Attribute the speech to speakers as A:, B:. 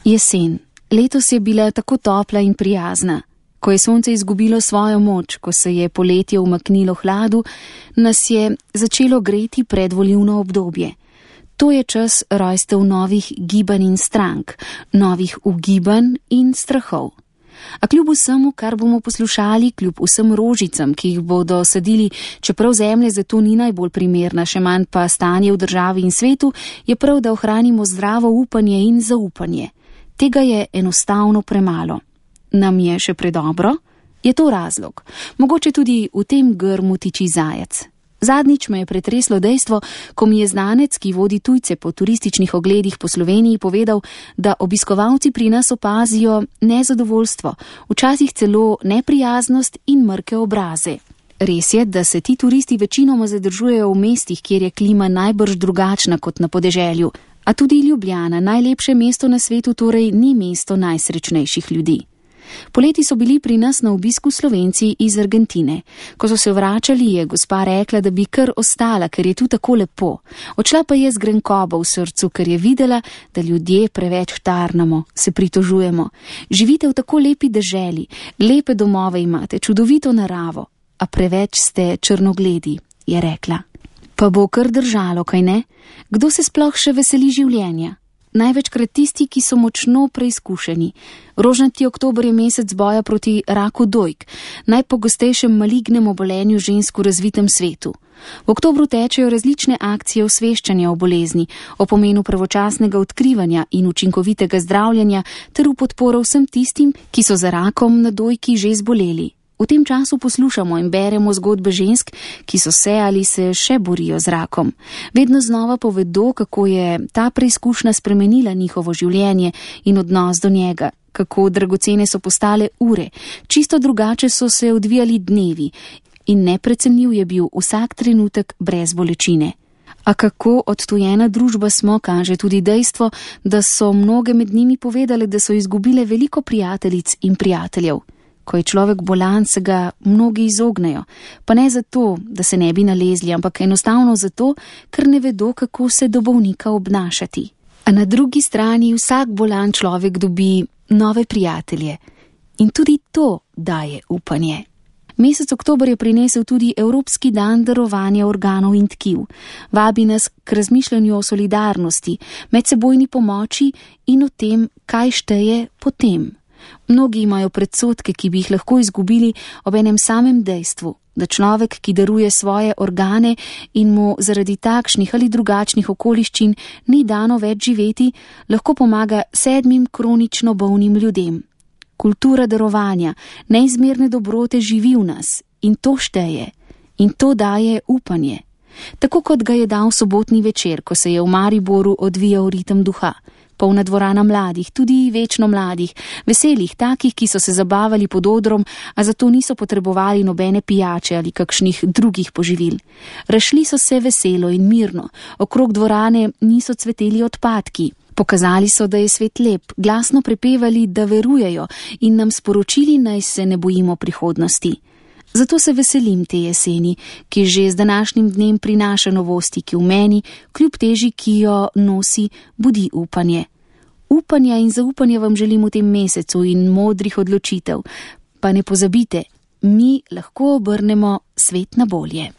A: Jesen. Letos je bila tako topla in prijazna. Ko je sonce izgubilo svojo moč, ko se je poletje umaknilo hladu, nas je začelo greti predvolilno obdobje. To je čas rojstev novih gibanj in strank, novih ugibanj in strahov. A kljub vsemu, kar bomo poslušali, kljub vsem rožicam, ki jih bodo sadili, čeprav zemlja za to ni najbolj primerna, še manj pa stanje v državi in svetu, je prav, da ohranimo zdravo upanje in zaupanje. Tega je enostavno premalo. Nam je še predobro? Je to razlog? Mogoče tudi v tem grmu tiči zajec. Zadnjič me je pretreslo dejstvo, ko mi je znanec, ki vodi tujce po turističnih ogledih po Sloveniji, povedal, da obiskovalci pri nas opazijo nezadovoljstvo, včasih celo neprijaznost in mrke obraze. Res je, da se ti turisti večinoma zadržujejo v mestih, kjer je klima najbrž drugačna kot na podeželju, a tudi Ljubljana, najlepše mesto na svetu, torej ni mesto najsrečnejših ljudi. Poleti so bili pri nas na obisku Slovenci iz Argentine. Ko so se vračali, je gospa rekla, da bi kar ostala, ker je tu tako lepo. Odšla pa je z grenkobo v srcu, ker je videla, da ljudje preveč tarnamo, se pritožujemo. Živite v tako lepi deželi, lepe domove imate, čudovito naravo, a preveč ste črnogledi, je rekla. Pa bo kar držalo, kaj ne? Kdo se sploh še veseli življenja? Največkrat tisti, ki so močno preizkušeni. Rožnati oktober je mesec boja proti raku dojk, najpogostejšem malignem obolenju žensk v razvitem svetu. V oktobru tečejo različne akcije osveščanja o bolezni, o pomenu pravočasnega odkrivanja in učinkovitega zdravljenja ter v podporo vsem tistim, ki so za rakom na dojki že zboleli. V tem času poslušamo in beremo zgodbe žensk, ki so se ali se še borijo z rakom. Vedno znova povedo, kako je ta preizkušnja spremenila njihovo življenje in odnos do njega, kako dragocene so postale ure, čisto drugače so se odvijali dnevi in neprecenljiv je bil vsak trenutek brez bolečine. A kako odtujena družba smo, kaže tudi dejstvo, da so mnoge med njimi povedale, da so izgubile veliko prijateljic in prijateljev. Ko je človek bolan, se ga mnogi izognejo, pa ne zato, da se ne bi nalezli, ampak enostavno zato, ker ne vedo, kako se do bolnika obnašati. A na drugi strani vsak bolan človek dobi nove prijatelje in tudi to daje upanje. Mesec oktober je prinesel tudi Evropski dan darovanja organov in tkiv. Vabi nas k razmišljanju o solidarnosti, medsebojni pomoči in o tem, kaj šteje potem. Mnogi imajo predsodke, ki bi jih lahko izgubili ob enem samem dejstvu, da človek, ki daruje svoje organe in mu zaradi takšnih ali drugačnih okoliščin ni dano več živeti, lahko pomaga 7 kronično bolnim ljudem. Kultura darovanja, neizmerne dobrote živi v nas in to šteje in to daje upanje. Tako kot ga je dal sobotni večer, ko se je v Mariboru odvijal ritem duha. Polna dvorana mladih, tudi večno mladih, veselih, takih, ki so se zabavali pod odrom, a zato niso potrebovali nobene pijače ali kakšnih drugih poživil. Razšli so se veselo in mirno, okrog dvorane niso cveteli odpadki. Pokazali so, da je svet lep, glasno prepevali, da verujejo in nam sporočili, naj se ne bojimo prihodnosti. Zato se veselim te jeseni, ki že z današnjim dnem prinaša novosti, ki v meni, kljub teži, ki jo nosi, budi upanje. Upanja in zaupanja vam želim v tem mesecu in modrih odločitev. Pa ne pozabite, mi lahko obrnemo svet na bolje.